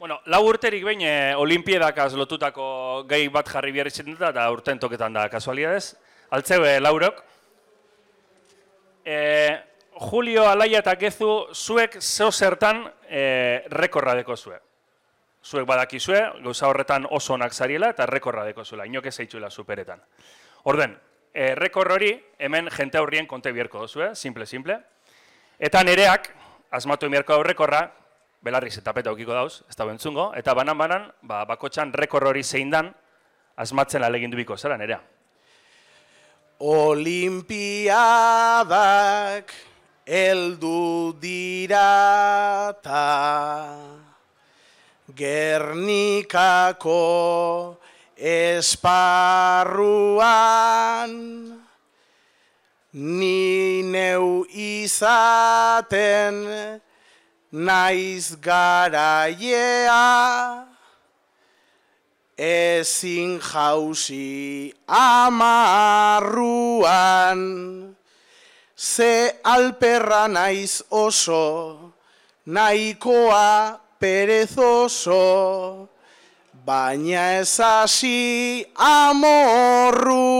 Bueno, 4 urterik behin olimpiedakaz lotutako gai bat jarri behar izan dut, eta urten toketan da kasualidadez. Altzeu, Laurok. Julio, Alaia eta Gezu, zuek zeo zertan rekorra deko zue. Zuek badakizue, gauza horretan oso onak zariela eta rekorra deko zuela, inoke zeitzuela superetan. Orden, rekor hori hemen jente aurrien konte bierko dozue, simple. Eta nereak, asmatu emierko aurrekorra, belarriz eta peta aukiko dauz, ez da bentzungo, eta banan, bakotxan rekor hori zein dan, asmatzen alegin dubiko zera nerea. Olimpiadak heldu dira ta Gernikako esparruan ni neu izaten naiz garaia ezin jauzi amarruan ze alperra naiz oso nahikoa perezoso baina ez hasi amorruan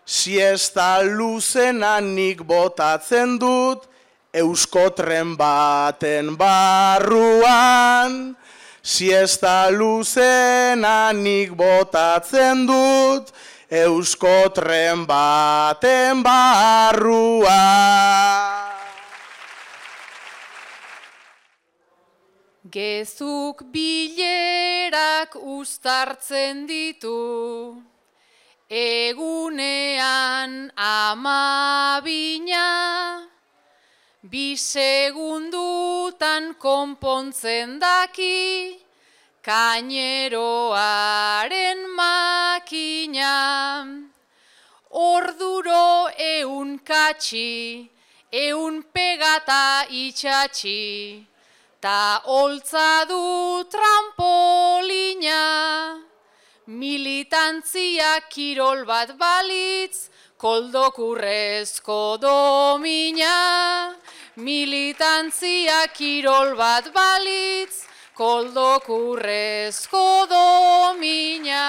siesta luzenanik botatzen dut euskotren baten barruan siesta luzenanik botatzen dut euskotren baten barruan. Gezuk bilerak uztartzen ditu, egunean 12, 2 segundutan konpontzen daki, kaineroaren makina. Orduro 100 katxi, 100 pegata itxatxi, ta holtza du trampolina. Militantzia kirol bat balitz, koldokurrezko domina. Militantzia kirol bat balitz, koldokurrezko domina.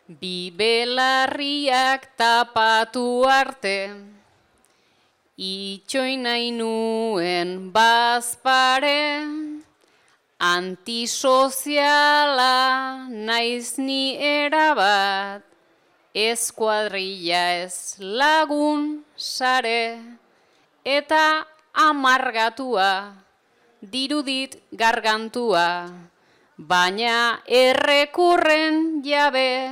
Bi belarriak tapatu arte, itxoin nahi nuen bazpare, antisoziala naiz ni erabat, ez kuadrilla ez lagun sare, eta amargatua, dirudit gargantua, baina errekurren jabe,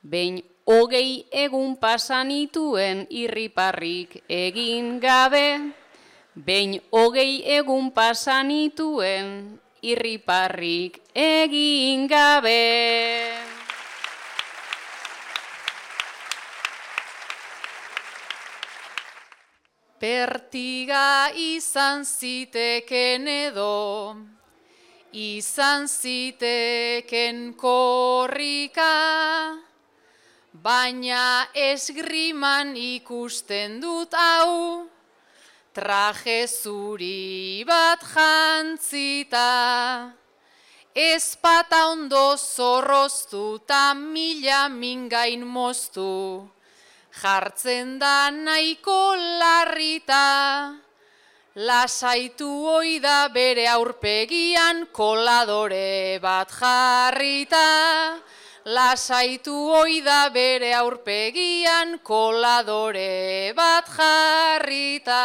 behin 20 egun pasanituen irriparrik egin gabe, behin 20 egun pasanituen irriparrik egin gabe. Pertiga izan ziteken edo, izan ziteken korrika, baina esgriman ikusten dut hau, traje zuri bat jantzita. Ezpata ondo zorroztu ta mila mingain moztu, jartzen da nahiko larrita. Lasaitu oida bere aurpegian koladore bat jarrita. Lasaitu oida bere aurpegian koladore bat jarrita.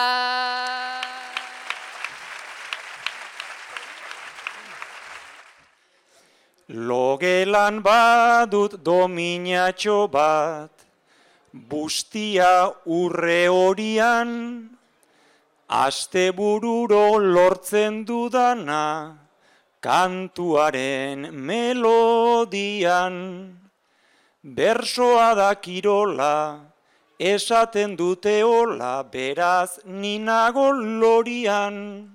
Logelan badut dominatxo bat, bustia urre horian, astebururo lortzen dudana, kantuaren melodian. Bersoa da kirola, esaten dute hola, beraz ninago lorian.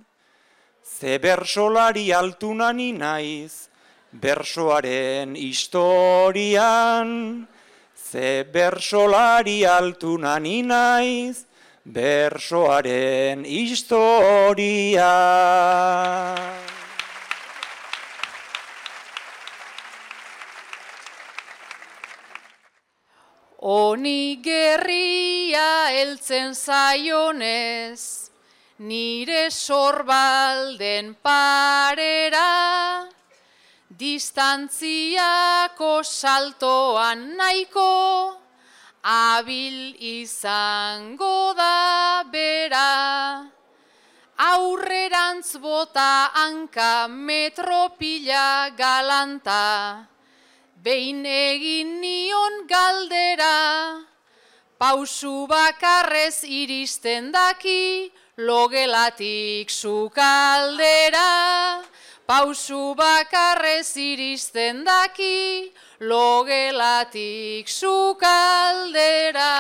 Ze bersolari altuna ni naiz, bersoaren historian. ze bersolari altuna ni naiz, bersoaren historia. Honi gerria heltzen zaionez, nire sorbalden parera, distantziako saltoan nahiko, abil izango da bera. Aurrerantz bota hanka metropila galanta, behin egin nion galdera, pausu bakarrez iristen daki, logelatik sukaldera. Pausu bakarrez iristen daki, logelatik sukaldera.